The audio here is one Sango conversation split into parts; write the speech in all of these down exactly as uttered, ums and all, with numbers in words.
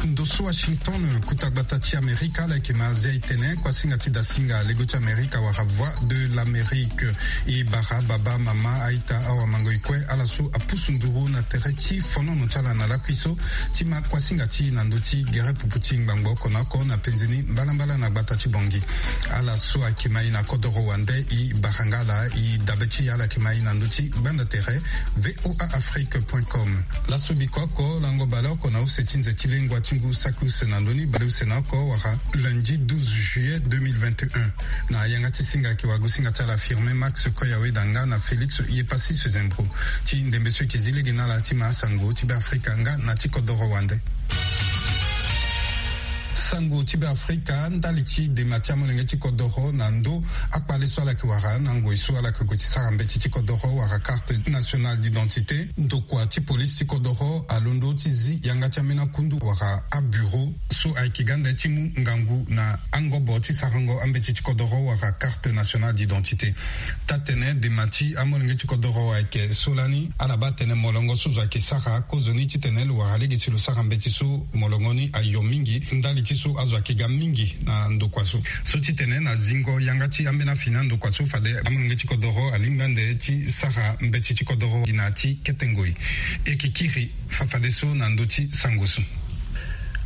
Ndo so Washington, kota gbata ti Amerika, ala yeke ma zia e tene kuasinga ti dasinga lego ti Amerika wala Voix de l'Amérique. E bara baba, mama, aita, awamango, e kue ala so apusu nduru na tere ti fonono ti ala na lakui so ti ma kuasinga ti e na ndö ti gere pupu ti ngbangbo oko na oko na penze ni mbalambala na gbata ti Bangui. Ala so ayeke ma e na kodoro wande, e bara nga ala, e dabe ti e ala yeke ma e na ndö ti gbanda tere V O A Afrique point com. Laso biko oko, lango baleoko na use ti nze ti lengua ti ngu saki use na ndö ni baleuse na oko wala lundi douze juillet deux mille vingt et un. Na yanga ti singa ayeke wagosinga ti ala Firmin Max Koyaweda nga na Félix Yepassis Sezembro. Ti ndembe so e yeke zi lege na ala ti ma asango ti Beafrika nga na ti kodoro wande. Sango ti Beafrika, ndali ti dema ti amolenge ti kodoro na ndö akpale so ala yeke wara na ngoi so ala yeke gue ti sara mbeti ti kodoro wala carte nationale d'identité, ndokua ti polisi ti kodoro alondo ti zi yanga ti ambeni akundu wala abureau so ayeke ga nde ti mu ngangu na angobo ti sarango ambeti ti kodoro wala carte nationale d'identité. Taa-tene dema ti amolenge ti kodoro ayeke so lani, ala baa tene molongo so zo ayeke sara akozoni titene lo wara lege si lo sara mbeti so molongo ni ayo mingi ndali ti so azo ayeke ga mingi na ndokua so. So titene na zingo yanga ti ambeni afini andokua so fade amolenge ti kodoro alingbi ande ti sara mbeti ti kodoro gi na ya ti kete ngoi. E yeke kiri fafadeso na ndö ti sango so.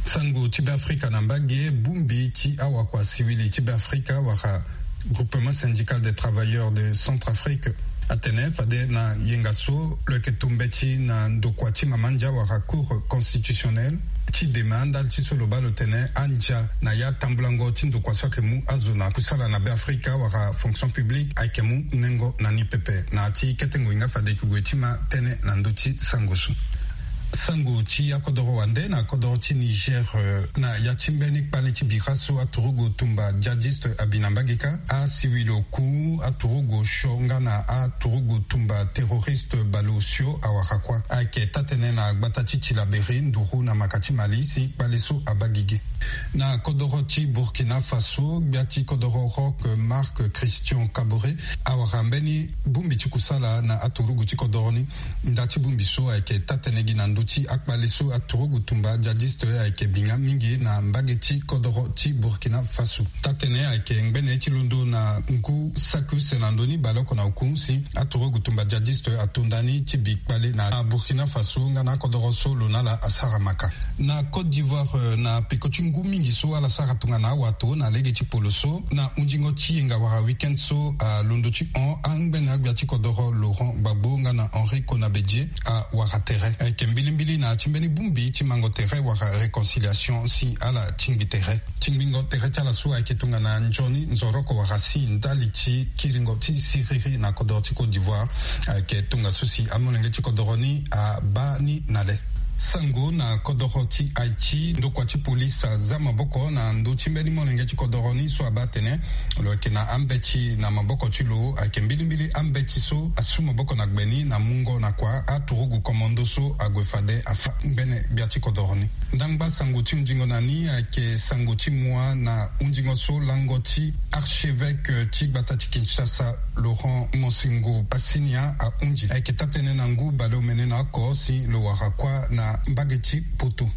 Sango ti Beafrika na mbage, bongbi ti awakua siwili ti Beafrika wala Groupement Syndical des Travailleurs de Centrafrique atene fade na yenga so lo yeke to mbeti na ndokua ti mama ndia wala Cour constitutionnelle ti dema ndali ti so lo baa lo tene andia na ya tambulango ti ndokua so ayeke mu azo na kusala na Beafrika wala fonction publique ayeke mu nengo na ni pepe. Na ya ti kete ngoi nga fade e yeke gue ti ma tënë na ndö ti sango so. Sango ti akodoro wande na kodoro ti Niger, eh, na ya ti mbeni kpale ti bira so aturugu tumba djihadiste abi na mbage kâ, asiwili oku aturugu osio nga na aturugu tumba terroriste baleosio awara kuâ. Ayeke taa-tënë na gbata ti Tillabéri nduru na maka ti Mali si kpale so abaa gigi. Na kodoro ti Burkina Faso, gbia ti kodoro Roch Marc Christian Kaboré awara mbeni bongbi ti kusala na aturugu ti kodoro ni. Nda ti bongbi so ayeke taa-tënë gi na ndö ti akpale so aturugu tumba djihadiste ayeke bi nga mingi na mbage ti kodoro ti Burkina Faso. Taa-tënë ayeke ngbene ti londo na ngu saki use na ndö ni baleoko na oku si aturugu tumba djihadiste ato nda ni ti bi kpale na Burkina Faso nga na akodoro so lo na ala asara maka. Na Côte d'Ivoire, eh, na peko ti ngu mingi so ala sara tongana awato na lege ti polo so, na hunzingo ti yenga wala week-end so alondo ti hon angbene agbia ti kodoro Laurent Gbagbo nga na Henri Konan Bédié awara tere. Ayeke mbilimbili na ya ti mbeni bongbi ti mango tere wala réconciliation si ala tingbi tere. Tingbingo tere ti ala so ayeke tongana nzoni nzoroko wala si ndali ti kiringo ti siriri na kodoro ti Côte d'Ivoire. Ayeke tongaso si amolenge ti kodoro ni abaa ni na le. Sango na kodoro ti Haïti, ndokua ti polisi aza maboko na ndö ti mbeni molenge ti kodoro ni so abaa atene lo yeke na ambeti na maboko ti lo. Ayeke mbilimbili ambeti so asu maboko na gbe ni na mungo na kua aturugu commando so ague fade afa ngbene gbia ti kodoro ni. Ndangba sango ti hunzingo na ni ayeke sango ti mua na hunzingo so lango ti archevêque ti gbata ti Kinshasa, Laurent Monsengwo Bassinia ahunzi. Ayeke taa-tënë na ngu baleomene na oko si lo wara kuâ na mbage ti Poto.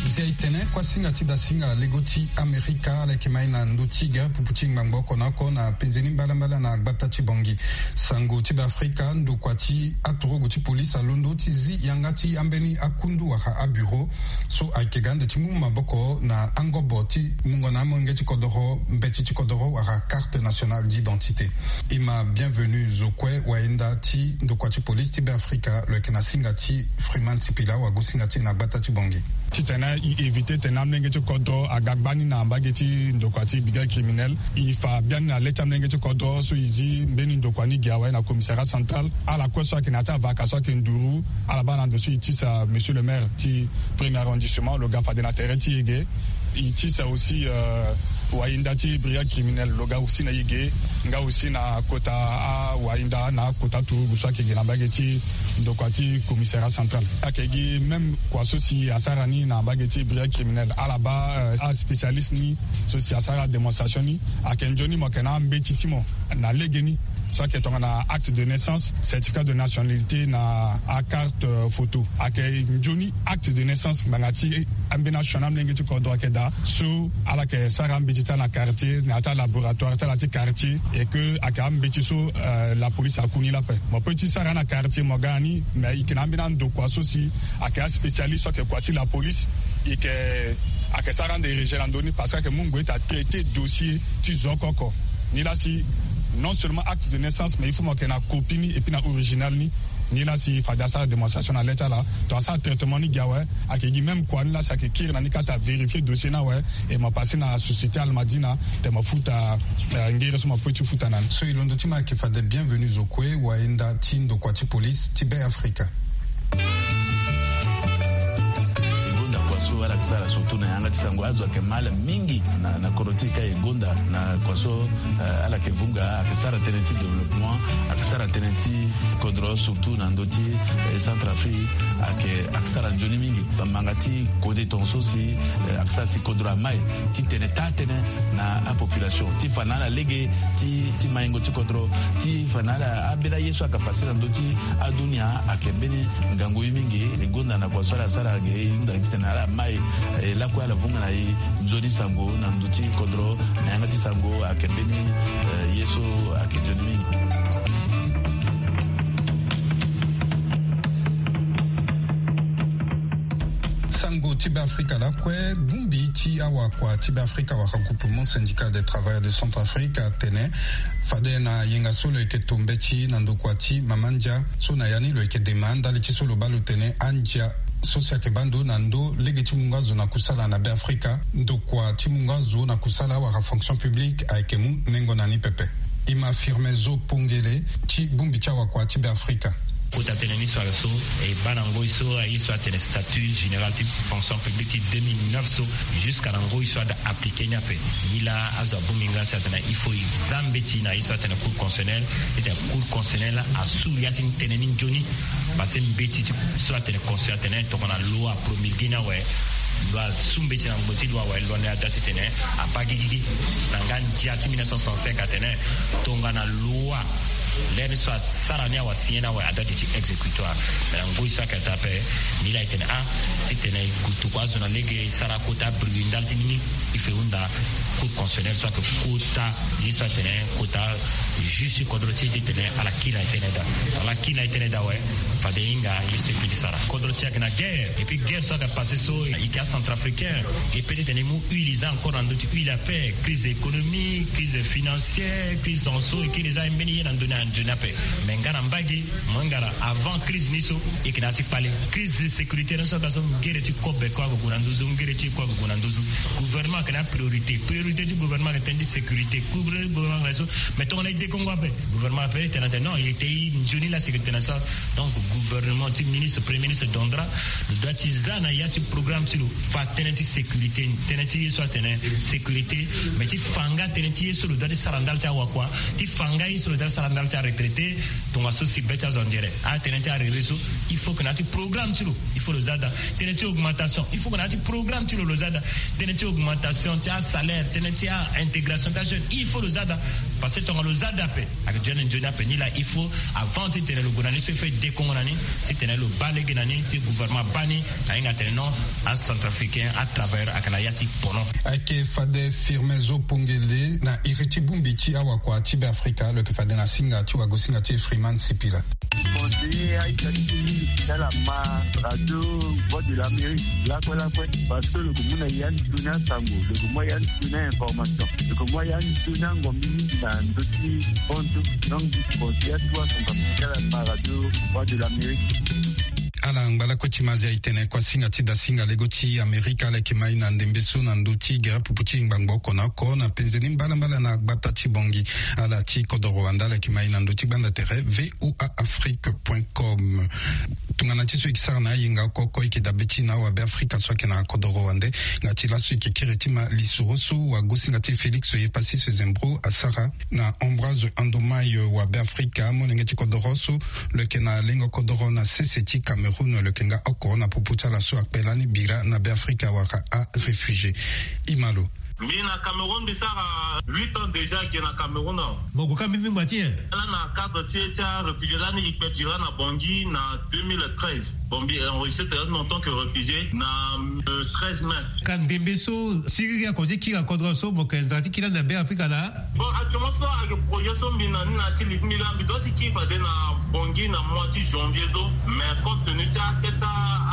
Zia e tene kuasinga ti dasinga lego ti Amerika ala yeke ma e na ndö ti gere pupu ti ngbangbo oko na oko na penze ni mbalambala na gbata ti Bangui. Sango ti Beafrika, ndokua ti aturugu ti polisi alondo ti zi yanga ti ambeni akundu wala abureau so ayeke ga ande ti mu maboko na angobo ti mungo na amolenge ti kodoro mbeti ti kodoro wala carte nationale d'identité. Ima Bienvenu Zokwe, wayenda ti ndokua ti polisi ti Beafrika, lo yeke na singa ti Freeman Sipila, wagosinga ti e na gbata ti Bangui. Titene e éviter tene amolenge ti kodro aga gbani na mbage ti ndokua ti brigade criminelle, e fa biani na le ti amolenge ti kodro so e zi mbeni ndokua ni gi awe na commissariat central. Ala kue so ayeke na ya ti avaka so ayeke nduru, ala baa na ndo so e tisa monsieur le maire ti premier arrondissement, lo ga fade na tere ti e ge. E tisa aussi, euh, wayinda ti brigade criminelle, lo ga aussi na e ge, nga aussi na kota a Wainda na akota turugu so ayeke gi na mbage ti ndokua ti commissariat central. Ayeke gi même kua so si asara ni na mbage ti brigade criminelle, ala baa aspécialiste ni so si asara adémonstration ni. Ayeke nzoni mo yeke na ambeti ti mo na legeni so ayeke tongana acte de naissance, certificat de nationalité na acarte photo. Ayeke nzoni acte de naissance ngbanga ti ambeni asioni amolenge ti kodro ayeke daa so ala yeke sara ambeti ti ala na quartier na ya ti alaboratoire ti ala ti quartier. Et que ayeke ambeti so la police aku ni lape. Mo pe ti sara na quartier mo ga na ni, mais e yeke na ambeni andokua so si ayeke aspécialiste so ayeke kua ti la police. E yeke ayeke sara ande régie na ndö ni parce que ayeke mu ngoi ti atraité dossier ti zo oko oko. Ni laa si non seulement acte de naissance, mais il faut mo yeke na copie ni et puis na original ni. Ni laa si fade asara démonstration na le ti ala, to asara traitement ni gi awe. Ayeke gi même kua ni laa si ayeke kiri na ni kata vérifier dossier ni awe. Et mo pase na société almadina te mo futa ngere so mo pe ti futa na ni. So e londo ti mo ayeke fade bienvenu zo kue wainda ti ndokua ti police ti be afrika. E gonda kua so ala yeke sara surtout na yanga ti sango azo ayeke ma ala mingi na kodro ti e ka e gonda na kua so ala yeke vunga ayeke sara tënë ti développement, ayeke sara tënë ti kodro surtout na ndö ti centre afrique. Ayeke ayeke sara nzoni mingi bambanga ti kode tongaso si ayeke sara si kodro amai ti tene taa tënë na apopulation ti fa na ala lege ti maingo ti kodro ti fa na ala ambeni aye so ayeke pase na ndö ti adunia. Ayeke mbeni ngangu ye mingi e gonda na kua so ala sara ge e hunda titene ala mai e lakue ala vunga na e nzoni sango na ndö ti kodro na yanga ti sango ayeke mbeni ye so ayeke nzoni mingi. Sango ti be afrika lakue bongbi ti awakua ti be afrika wala groupement syndical des travailleurs de centre afrique atene fade na yenga so lo yeke to mbeti na ndokua ti mama ndia so na ya ni lo yeke dema ndali ti so lo baa lo tene andia so si ayeke baa ndo na ndo lege ti mungo azo na kusala na be afrika ndokua ti mungo azo na kusala wala fonction publique ayeke mu nengo na ni pepe. E ma firme zo pongele ti bongbi ti awakua ti be afrika. Kota tënë ni so ala so e baa na ngoi so aye so atene statut général ti fonction publique ti deux mille neuf so jusqu'à na ngoi so ada appliqué ni ape. Ni laa azo abongbi nga ti atene il faut e za mbeti na ye so atene cour constitutionnel ti tene cour constitutionnel asu ya ti tënë ni nzoni. Parce que mbeti ti so atene constitution atene tongana loi apromulgué ni awe, loi asu mbeti na ngbo ti loi awe, loi ni ada titene abaa gigigi na nga ndia ti mille neuf cent soixante-cinq atene tongana loi lere ni so asara ni awe asigné ni awe ada duti exécutoire. Mais na ngoi so ayeke daa ape ni laa e tene ah titene e gutu kua azo na lege e sara kota bruit ndali ti ni ni. Il faut e hunda cour constitutionnel so ayeke kota ye so atene kota juge ti kodro ti e titene ala kiri na e tënë daa. Ala kiri na e tënë daa awe fade e hinga ye so e peut ti sara. Kodro ti e ayeke na guerre et puis guerre so ayeke passé so e yeke acentrafricain e peut titene e mu huile e za encore na ndö ti huile ape. Crise économique, crise financière, crise tongaso e kiri e za mbeni ye na ndö ni anzoni ape. Mais nga na mbage mo hinga laa avant crise ni so e yeke na ya ti kpale. Crise de sécurité ni so aga so ngere ti kobe kue ague gue na nduzu ngere ti e kue ague gue na nduzu. Gouvernement ayeke na apriorité. Priorité ti gouvernement ayeke tënë ti sécurité. Gouvernement ayeke na so mais tongana e dekongo ape gouvernement ape e tene atene non e te e nzoni la sécurité na so. Donc gouvernement ti ministre premier ministre dondra lo doit ti za na ya ti programme ti lo fa tënë ti sécurité ni tënë ti ye so atene sécurité. Mais ti fa nga tënë ti ye so lo doit ti sara ndali ti awakua ti fa nga ye so lo doit ti sara ndali ti aretraité. Tongaso si be ti azo anzere atënë ti arere so il faut que na ya ti programme ti lo il faut lo za daa. Tënë ti augmentation il faut que na ya ti programme ti lo lo za daa. Tënë ti augmentation ti asalaire tënë ti aintégration ti ajeune il faut lo za daa. Parce que tongana lo za daa ape ayeke duti na nzoni ape ni laa il faut avant titene lo gue na ni so il faut e dekongo na ni titene lo baa lege na ni ti gouvernement abaa ni. Ahinga atene non acentrafricain atravailleur ayeke na ya ti pono. Ayeke fade firme zo pongele na iri ti bongbi ti awakua ti be afrika lo yeke fade na singa ti wagosinga ti e freeman sipila. Conseiller aita ti mingi ti ala ma radio voix de l'amérique lakue lakue. Parce que lo ke mu na ya nzoni asango lo ke mu ya nzoni ainformation lo ke mu ya nzoni angombi mingi na ndö ti bontu. Donc conseiller atuwa sango ti ala ma radio voix de l'amérique. Ala ngba lakue ti mazia e tene kuasinga ti dasinga lego ti Amerika ala yeke mai na ndembe so na ndö ti gere pupu ti ngbangbo oko na oko na penze ni mbalambala na gbata ti Bangui. Ala ti kodoro wande ala yeke mai na ndö ti gbanda tere V O A Afrique point com. Tongana ti so e yeke sara na ayenga oko oko e yeke dabe ti na awabe Afrika so ayeke na kodoro wande. Nga ti laso e yeke kiri ti ma lisoro so wagosinga ti e Félix Yepassis Zembro asara na Ambroise Andomai, wabe Afrika, molenge ti kodoro so lo yeke na lengo kodoro na sese ti Cameroun, lo yeke nga oko na popo ti ala so akpe lani bira na Be Afrika wala aréfugié. E ma lo. Mbi na Cameroun, mbi sara huit ans déjà ge na Cameroun awe. Mo gue ka mbeni ngba ti nyen? Lani na cadre ti e ti aréfugié lani e kpe bira na Bangui na deux mille treize. Bon, mbi enregistré tere ti mbi en tant que réfugié na, euh, treize mai. Ka ndembe so siriri akonzi ti kiri na kodro so mo yeke nzara ti kiri lani na Be Afrika laa? Bon, actuellement so ayeke projet so mbi na ni na ya ti li ti mbi laa, mbi doit ti kiri fade na Bangui na mois ti janvier so. Mais compte tenu ti akete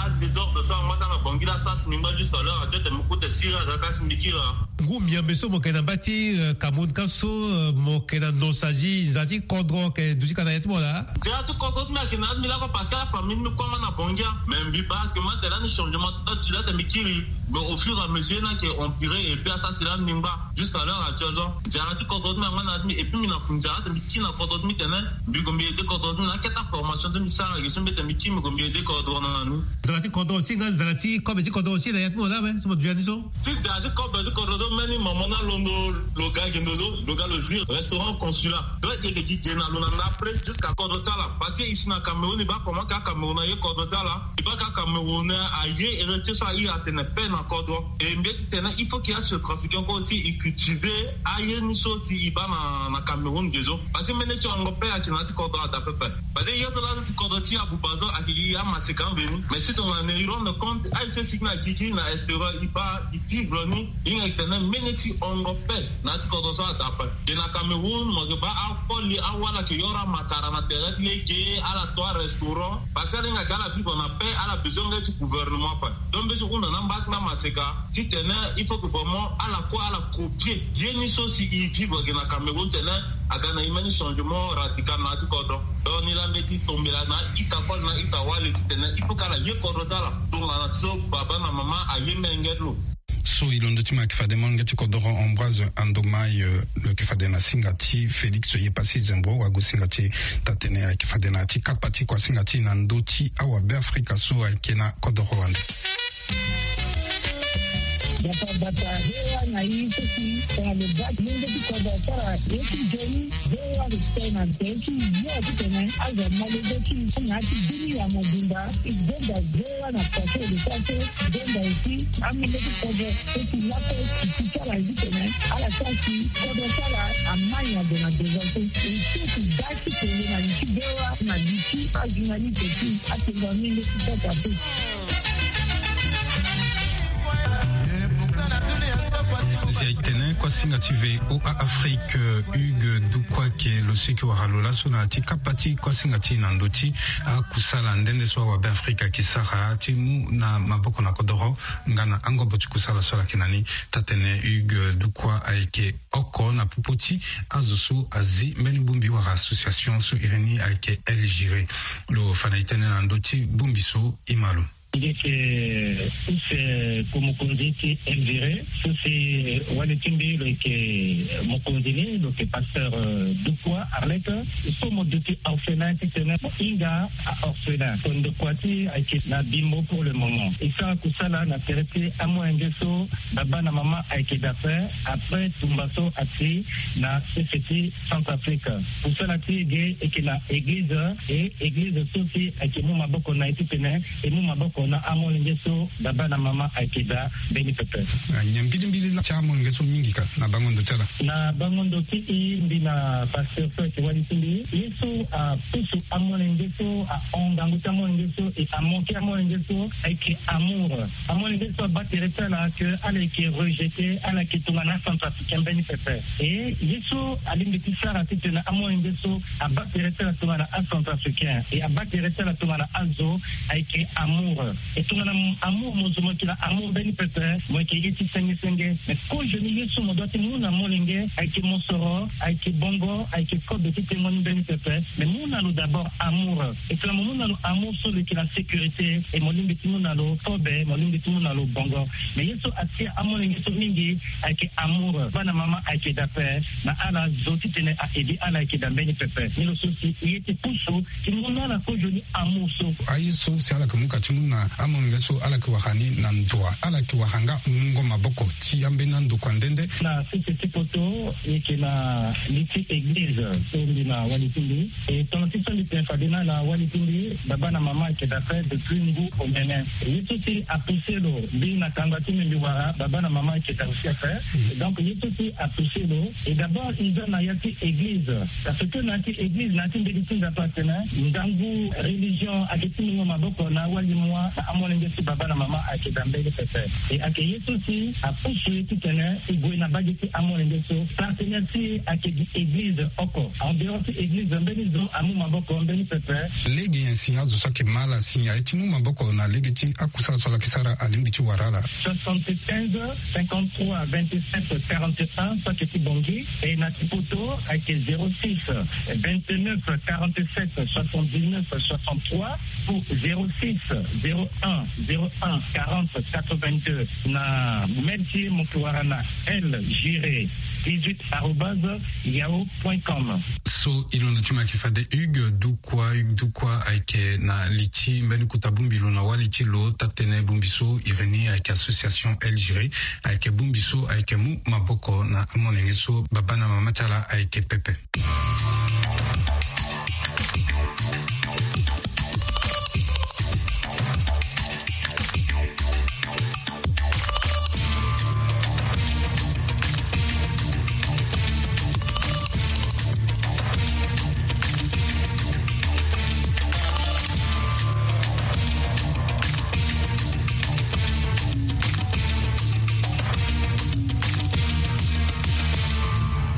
adésordre so angba ti ala na Bangui laa, sara si mbi ngba jusqu'à l'heure actuelle, tene mbi kue tene siriri aga ka si mbi kiri laa. Ngu miambe so mo yeke na mbage ti, euh, Cameroun ka so, euh, mo yeke na nosazi nzara ti kodro ayeke duti ka na ya ti mo laa? Nzara ti kodro ti mbi ayeke na ya ti mbi lakue parce que afamille ti mbi kue angba na Bangui. Mais mbi baa que mbi tene lani changement ti date ti la tene mbi kiri. Mais au fur et à mesure ni ayeke empiré et puis asara si lani mbi ngba jusqu'à l'heure actuelle. Donc nzara ti kodro ti mbi angba na ya ti mbi et puis mbi na nzara tene mbi kiri na kodro ti mbi tene mbi gue mbi aidé kodro ti mbi na akete aformation ti mbi sara ge so mbi tene mbi kiri mbi gue mbi aidé kodro na ni. Nzara ti kodro aussi nga nzara ti kobe ti kodro aussi na ya ti mo laa awe so mo duti ya ni so? Ti da ti kobe ti kodro so mbeni mama ni alondo lo ga ge ndo so lo ga lo zi restaurant consulat. Donc e yeke gi ge na lo na ndapre jusqu'à kodro ti ala. Parce que ici na Cameroun e baa comment ka Cameroun aye kodro ti ala. E baa ka Cameroun aye héritier so aye atene paix na kodro. E mbi ye ti tene il faut que asurtrafiquant kue aussi e utiliser aye ni so si e baa na, na Cameroun ge so. Parce que mbeni ti hongo paix ayeke na ya ti kodro ada pepe. Parce que ye so laa ti kodro ti abuba so ayeke gi amaseka mbeni. Mais si tongana e rendre compte aye so e sigi na gigi na extérieur e baa e vivre ni. E hinga e tene mbeni ti hongo paix na ya ti kodro so ada ape. Ge na Cameroun mo yeke baa akoli awala ayeke yoro amakara na tere ti lege ala to arestaurant. Parce que ala hinga ge ala vivre na paix ala besoin nga ti gouvernement ape. Donc mbi ye ti hunda na amba ti mbi amaseka titene il faut que vraiment ala kue ala copier ye ni so si e vivre ge na Cameroun tene aga na e mbeni changement radical na ya ti kodro. Donc ni laa mbi ye ti tombela na a-ita kue na a-ita wali titene il faut que ala ye kodro ti ala tongana ti so baba na mama aye menge ti lo. So e londo ti mo ayeke fade molenge ti kodoro Ambroise Andomai, euh, lo yeke fade na singa ti Félix Yepassis Zembro wagosinga ti e taa-tënë ayeke fade na ya ti kapa ti kuasinga ti e na ndö ti awabe Afrika so ayeke na kodoro wande. Bata bata, V O A na e so si tongana lo baa ti lenge ti kodro asara ye ti nzoni, V O A respect na nzoni ti yo titene azo amolenge ti e na ya ti dunia mobimba. E gonda V O A na pase e lo sara so e gonda aussi amolenge ti kodro so si lakue e ti sara ye titene ala sara si kodro ti ala amai na gue na devant so e so si da ti kele na li ti V O A na li ti ajournaliste ti atengo amolenge ti sasa so. Zia e tene kuasinga ti V O A Afrique, euh, Hugues Dukwa ayeke lo so e yeke wara lo laso na ya ti kapa ti kuasinga ti e na ndö ti akusala nde nde so awabe Afrika ayeke sara ti mu na maboko na kodoro nga na angobo ti kusala so ala yeke na ni. Taa-tënë Hugues Dukwa ayeke oko na popo ti azo so azi mbeni bongbi wala association so iri ni ayeke El Géré. Lo fa na e tënë na ndö ti bongbi so. E ma lo. Mbi yeke use ku mokonzi ti El Géré so si wali ti mbi lo yeke mokonzi ni lo yeke pasteur, euh, Dukwa Arlette. So mo duti orphelin titene mo hinga a-orphelin. Kondokua ti e ayeke na Bimbo pour le moment. E sara kusala na tere ti amolenge so baba na mama ayeke daa ape après tumba so ati na sese ti Centrafrique. Kusala ti e ge e yeke na église, e église so si ayeke mu maboko na e titene e mu maboko na amolenge so baba na mama ayeke daa mbeni pepe. Ah, nyen mbilimbili laa ti amolenge so mingi ka na bango ndo ti ala? Na bango ndo ti e, mbi na pasteur so ayeke wali ti mbi, ye so apusu amolenge so, ahon ngangu ti amolenge so e amoke amolenge so ayeke amour. Amolenge so abaa tere ti ala que ala yeke rejeté, ala yeke tongana acentrafricain mbeni pepe. E ye so alingbi ti sara titene amolenge so abaa tere ti ala tongana acentrafricain e abaa tere ti ala tongana azo ayeke amour. E tongana amour mo zo mo yeke na amour mbeni pepe, mo yeke ye ti senge senge. Mais kozoni ye so mo doit ti mu na molenge ayeke mosoro, ayeke bongo, ayeke kobe ti tengo ni mbeni pepe. Mais mu na lo d'abord amour. E tongana mo mu na lo amour so lo yeke na sécurité, e mo lingbi ti mu na lo kobe, mo lingbi ti mu na lo bongo. Mais ye so atia amolenge so mingi ayeke amour. Bana mama ayeke daa ape na ala zo titene a edi ala ayeke daa mbeni pepe. Ni lo so si ye ti pusu ti mu na ala kozoni amour so. Aye so si ala yeke mu ka ti mu na amolenge so ala yeke wara ni na ndo wa? Ala yeke wara nga mungo maboko ti ambeni andokua nde nde. Na sese ti poto, e yeke na li ti église so mbi na wali ti mbi. E tongana ti so mbi tene fade na ala wali ti mbi, baba na mama ayeke daa ape depuis ngu omene. Ye so si apousse lo mbi na kanga ti mbi mbi wara baba na mama ayeke daa aussi ape. Donc ye so si apousse lo, e d'abord e za na ya ti église. Parce que na ya ti église, na ya ti mbeti ti Nzapa atene ndangu religion ayeke ti mungo maboko na awali mua na amolenge ti baba na mama ayeke daa mbeni pepe. E ayeke ye so si apousse ye titene e gue na mbage ti amolenge so. Partenaire ti e ayeke gi église oko. En dehors ti église, mbeni zo amu maboko mbeni pepe. Lege nyen si azo so ayeke ma ala si aye ti mu maboko na lege ti akusala so ala yeke sara alingbi ti wara ala? Soixante-quinze, cinquante-trois, vingt-sept, quarante et un, so ayeke ti Bangui. E na ti poto ayeke zéro six, vingt-neuf, quarante-sept, soixante-dix-neuf, soixante-trois, ou zéro six, zéro un, zéro un, quarante, quatre-vingt-deux. Na mail ti e mo yeke wara na L Giré dix-huit arobase yahoo point com. So e londo ti mo ayeke fade Hugues Dukwa. Hugues Dukwa ayeke na li ti mbeni kota bongbi lo na wali ti lo taa-tënë bongbi so iri ni ayeke association L Giré. Ayeke bongbi so ayeke mu maboko na amolenge so baba na mama ti ala ayeke pepe.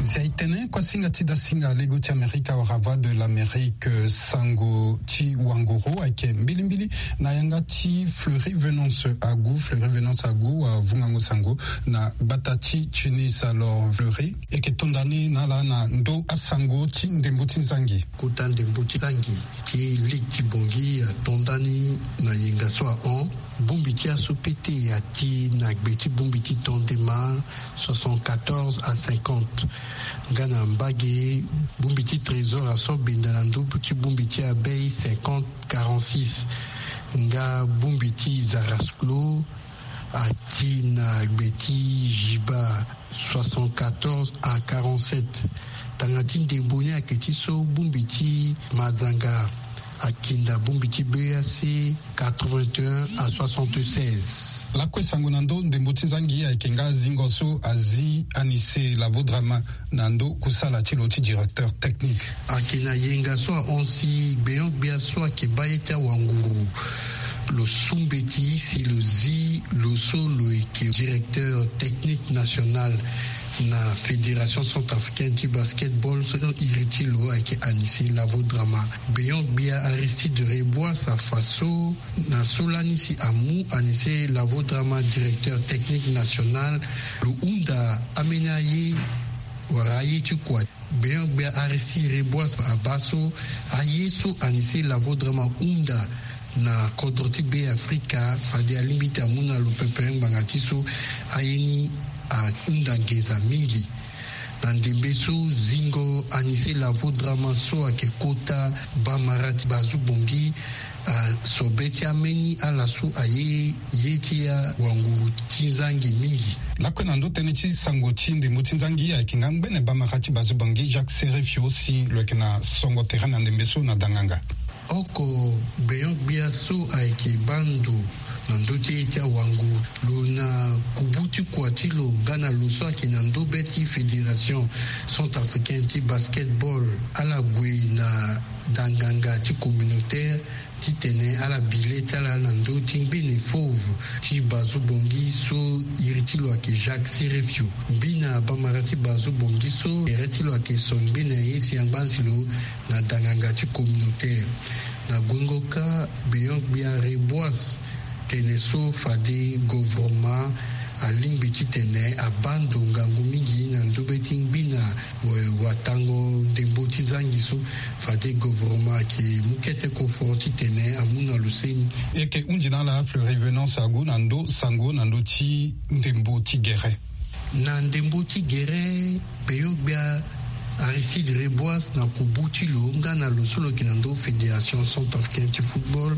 Si aye tene kuasinga ti dasinga lego ti Amerika wala Voix de l'Amérique, sango ti wanguru ayeke mbilimbili na yanga ti Fleury Venance Agu. Fleury Venance Agu avungango sango na gbata ti Tunis. Alors Fleury, e yeke tonda ni na ala na ndo asango ti ndembo ti nzangi. Kota ndembo ti nzangi ti lege ti Bangui atonda ni na yenga so ahon. Bongbi ti aso pete ati na gbe ti bongbi ti tondema soixante-quatorze à cinquante. Nga na mbage, bongbi ti trésor aso benda na ndo ti bongbi ti abei cinquante quarante-six. Nga bongbi ti zarasclo ati na gbe ti jiba soixante-quatorze à quarante-sept. Tanga ti ndembo ni ayeke ti so bongbi ti mazanga akinda bongbi ti B A C quatre-vingt-un à soixante-seize. Lakue sango na ndo ndembo ti nzangi ayeke nga zingo so azi Anissé Lavodrama na ndo kusala ti lo ti directeur technique. Ayeke na yenga so ahon si gbeon-gbia so ayeke baa ye ti awanguru lo su mbeti si lo zi lo so lo yeke directeur technique national na Fédération centrafricaine ti basketball so iri ti lo ayeke Anissé Lavodrama. Gbeon-gbia Aristide Reboise afa so na so lani si amu Anissé Lavodrama directeur technique national, lo hunda ambeni aye wala aye ti kua. Gbeon-gbia Aristide Reboise abaa so aye so Anissé Lavodrama hunda na kodro ti Be Afrika fade alingbi ti amu na lo pepe ngbanga ti so aye ni ahunda nginza mingi. Na ndembe so zingo Anissé Lavodrama so ayeke kota bamara ti Bazoue-Bangui, aso be ti ambeni ala so aye ye ti awanguru ti nzangi mingi. Lakue na ndo tënë ti sango ti ndembo ti nzangi ayeke nga ngbene bamara ti Bazoue-Bangui Jacques Serefio si lo yeke na songo tere na ndembe so na danganga. Oko gbeon-gbia so ayeke baa ndo na ndö ti ye ti awanguru lo na kubu ti kua ti lo nga na lo so ayeke na ndo be ti Fédération centrafricaine ti basketball, ala gue na danganga ti communautaire titene ala bi le ti ala na ndö ti ngbene fauve ti Bazoue-Bangui so iri ti lo ayeke Jacques Serefio. Mbi na bamara ti Bazoue-Bangui so tere ti lo ayeke so ngbene ye si angba si lo na danganga ti communautaire. Na guengo kâ gbeon-gbia Reboise Tene so fade govoroma alingbi titene abando ngangu mingi na ndobe ti ngbi na watango ndembo ti zangi so. Fade govoroma ake mu kete kofo titene amu na loseni. Eke hundi na ala Fleury Venance Agu na ndo sango na ndo ti ndembo ti gere. Na ndembo ti gere, peyo-gbia Aristide Reboise na kubu ti lo nga na lo so lo yeke na ndo Fédération Centrafricaine ti Football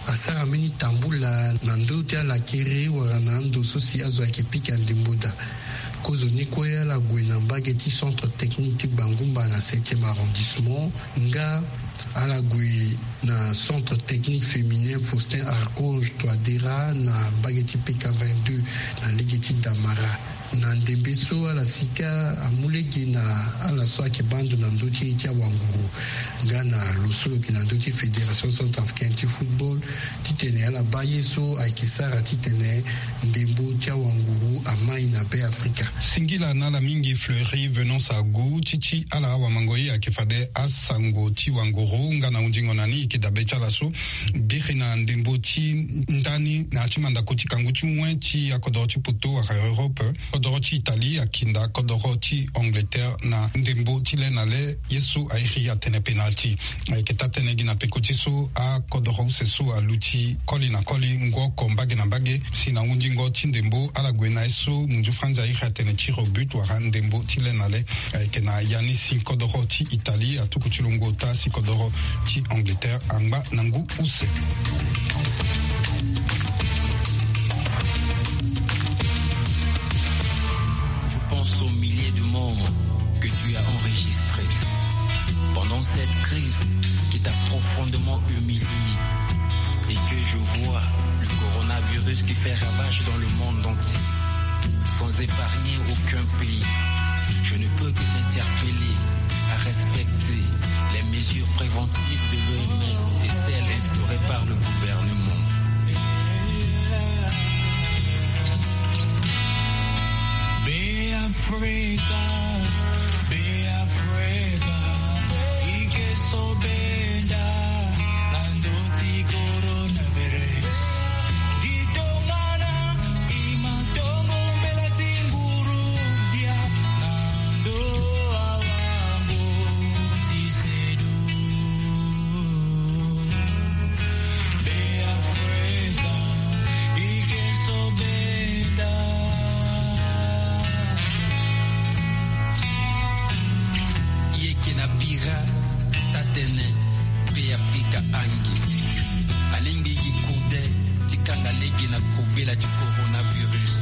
asara mbeni tambula na ndo ti ala kere wala na ando so si azo ayeke pika ndembo daa. Kozoni kue ala gue na mbage ti centre technique ti Gbangumba na septième arrondissement nga ala gue na centre technique féminin Faustin Archange Touadéra na mbage ti P K vingt-deux na lege ti Damara. Na ndembe so ala sika amu lege na ala so ayeke baa ndo na ndö ti ye ti awanguru nga na lo so lo yeke na ndö ti Fédération Centrafricaine ti Football titene ala baa ye so ayeke sara titene ndembo ti awanguru amai na Be Afrika. Singila na ala mingi Fleury Venance Agu ti ti ala awamango ye ayeke fade asango ti wanguru nga na hundingo na ni e yeke dabe ti ala so biri na ndembo ti ndani na ya ti mandako ti kangu ti wen ti akodoro ti poto wala Europe. Kodoro ti Italie akinda kodoro ti Angleterre na ndembo ti le na le ye so a iri atene penalty. Ayeke taa-tënë gi na peko ti so akodoro use so aluti koli na koli ngu oko mbage na mbage si na hundingo ti ndembo ala gue na ye so munzu franzi a iri atene tir au but wala ndembo ti le na le. Ayeke na ya ni si kodoro ti Italie atuku ti lo ngu ota si kodoro ti Angleterre angba na ngu use. Je pense aux milliers de morts que tu as enregistrés pendant cette crise qui t'a profondément humilié et que je vois le coronavirus qui fait ravage dans le monde entier, sans épargner aucun pays. Je ne peux que t'interpeller à respecter les mesures préventives de l'O M S et celles instaurées par le gouvernement. Be Africa, Be Africa, ike so benda na ndö ti coronavirus. Gi tongana i ma tongo mbela ti nguru gbia na ndö awango ti sedu. Be Afrika, ike so benda. Ye ke na bira tatene Be Afrika ange. Alingbi gi kode ti kanga lege na kobela ti coronavirus.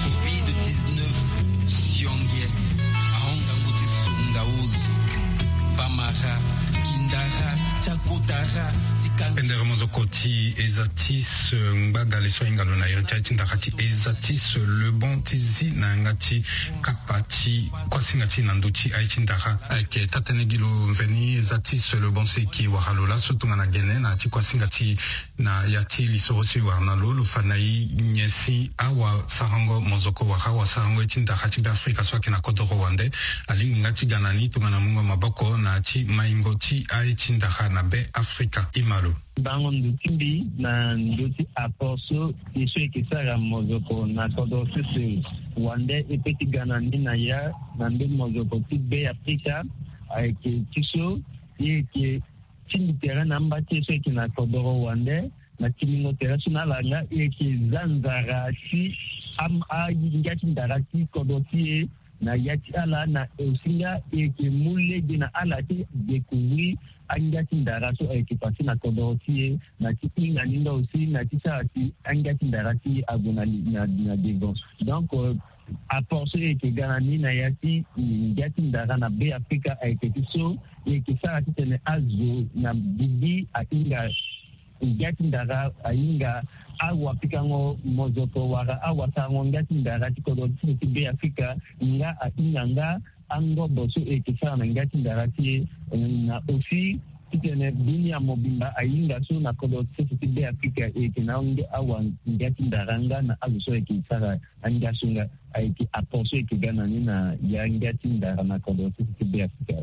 Covid dix-neuf, sionge, ahon ngangu ti songa ozo. Bamara, kindara, ti akotara, ti kanga. Pendere mozoko ti Ezatis, eh, ngbagale so ahinga lo na iri ti aye ti ndara ti Ezatis, eh, le bon ti zi na yanga ti kapa ti kuasinga ti na ndö ti aye ti ndara. Ayeke taa-tënë gi lo mveni Ezatis, eh, le bon so e ke wara lo laso tongana gene na ya ti kuasinga ti na ya ti lisoro so e wara na lo, lo fa na e nyen si awasarango mozoko wala awasarango ye ti ndara ti Be Afrika so ayeke na kodoro wande alingbi nga ti ga na ni tongana mungo maboko na ya ti maingo ti aye ti ndara na Be Afrika. Ima lo. Bango ndo ti mbi na ndö ti apport so e so e yeke sara mozoko na kodoro sese wande e pe ti ga na ni na ya na ndö mozoko ti Be Afrika ayeke ti so e yeke tingbi tere na amba ti e so e yeke na kodoro wande na tingbingo tere so na ala nga e yeke za nzara ti am- angia ti ndara ti kodro ti e na ya ti ala na e aussi nga e yeke mu lege na ala ti découvrir angia ti ndara so ayeke passé na kodro ti e na ti hinga ni nga aussi na ti sara si angia ti ndara ti e ague na li- na na devant. Donc euh, apport so e yeke ga na ni na ya ti ngia ti ndara na Be Afrika ayeke ti so e yeke sara titene azo na bibi ahinga ngia ti ndara ahinga awapikango mozoko wala awasarango ngia ti ndara ti kodro ti sese ti Be Afrika nga ahinga nga angobo so e yeke sara na ngia ti ndara ti e na aussi titene dunia mobimba ahinga so na kodro ti sese ti Be Afrika e yeke na ange- awa ngia ti ndara nga na azo so e yeke sara angia so nga ayeke apport so e yeke ga na ni na ya ngia ti ndara na kodro ti sese ti Be Afrika.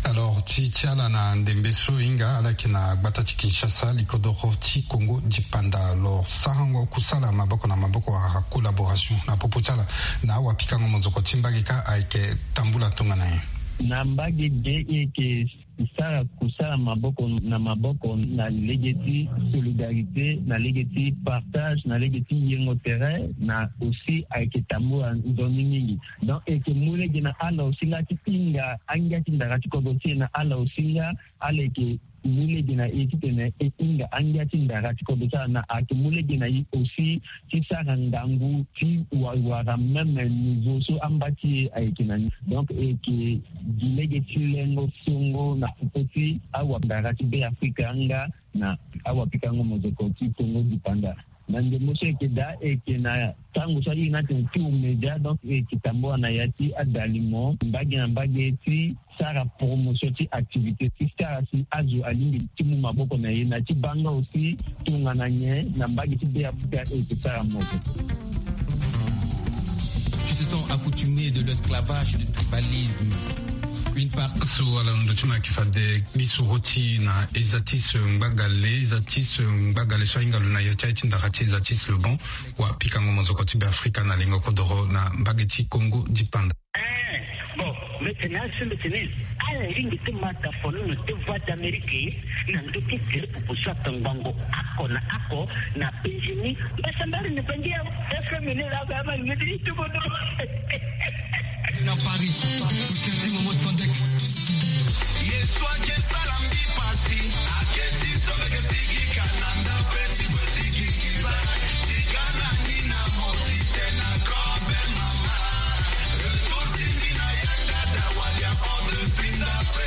Alors ti ti ala na ndembe so e hinga ala yeke na gbata ti Kinshasa, likodoro ti Congo dipanda. Alors sarango kusala maboko na maboko wala collaboration na popo ti ala na awapikango mozoko ti mbage kâ ayeke tambula tongana nyen? Na mbage ge e yeke sara kusala maboko na maboko na lege ti solidarité, na lege ti partage, na lege ti yengo tere, na aussi ayeke tambula nzoni mingi. Donc e yeke mu lege na ala aussi nga ti hinga angia ti ndara ti kodro ti e, na ala aussi nga ala yeke mu lege na e titene e hinga angia ti ndara ti kodro ti ala, na ayeke mu lege na e aussi ti sara ngangu ti wa- wara même niveau so amba ti e ayeke na ni. Donc e yeke gi lege ti lengo songo na popo ti awandara ti Beafrika nga na awapikango mozoko ti Congo dipanda. Na ndembo so e yeke daa, e yeke na tango so aye ni atene tour média, donc e yeke tambula na ya ti adali mo mbage na mbage ti sara promotion ti activité ti sara si azo alingbi ti mu maboko na e na ti baa nga aussi tongana nyen na mbage ti Beafrika e yeke sara mo. Tu te sens accoutumé de l'esclavage, du tribalisme. Une part so ala na ndö ti ma yeke fade lisoro ti na eza ti so ngbagale, eza ti so ngbagale so ahinga lo na ya ti aye ti ndara ti eza ti so le bon. Wa pikango mozoko ti Beafrika na lingo kodoro na mbage ti Congo dipanda. Eh, bon, mbi tene asi mbi tene ala lingbi ti mata fonono ti Voix d'Amérique na ndö ti tele pupu so atongbango oko na oko na penzi ni. Mbasambari ni penzi ya F M ni la ba ma ni ti tubono. Na Paris, Momo Sandek. Yesu ake sala mbi pasi, ake ti so mbi ke sigi kana nda pe ti kue ti kikiza. Tika na ni na moti te na kobe mama. Retour ti mbi na yanga da walia o de pinda pe.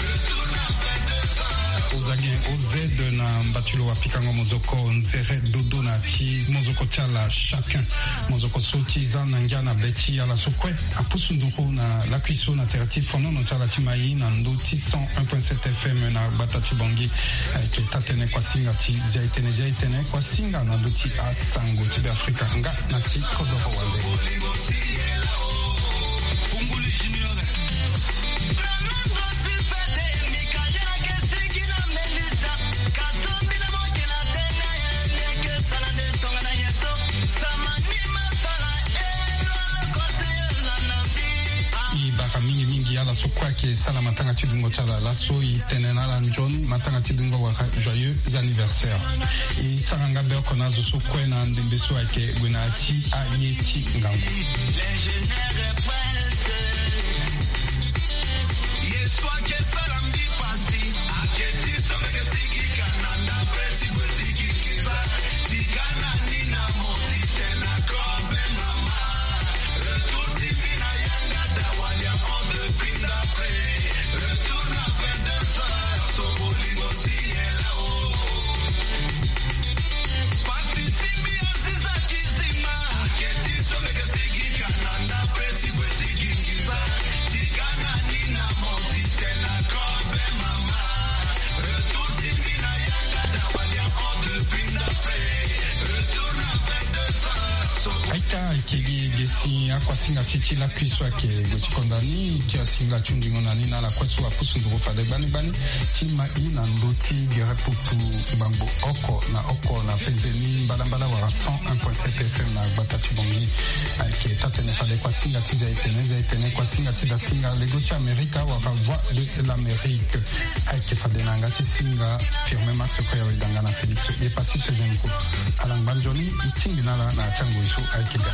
Retour na vingt-deux heures. Oza nyen? O Z na mbatulu wa pikango mozoko nzere dodo na ti mozoko ti ala chacun. Mozoko so ti za na ngia na be ti ala so kue apusu nduru na lakui so na tere ti fonono ti ala ti mai na ndö ti cent un point sept F M na gbata ti Bangui. Ayeke taa-tënë kuasinga ti zia-e-tënë, zia-e-tënë kuasinga na ndö ti asango ti Beafrika nga na ti kodoro wande. E bara mingi mingi ala so kue ayeke sala matanga ti dungo ti ala laso, e tene na ala nzoni matanga ti dungo wala joyeux anniversaire. E sara nga be oko na azo so kue na ndembe so ayeke gue na ya ti aye ti ngangu. Aita, ayeke gi ge si akuasinga ti ti lakui so ayeke gue ti konda ni ti asinga ti hundingo na ni na ala kue so apusu nduru fade gbani gbani ti mai na ndö ti gere pupu ngbangbo oko na oko na penze ni mbalambala wala cent un point sept F M na gbata ti Bangui. Ayeke taa-tënë fade kuasinga ti zia-e-tënë, zia-e-tënë kuasinga ti dasinga lego ti Amerika wala Voix de l'Amérique. Ayeke fade na yanga ti singa Firmin Max Koya Wedanga na Félix Yepassi Sezenko. Ala ngba nzoni, e tingbi na ala na ya ti angoi so ayeke ga.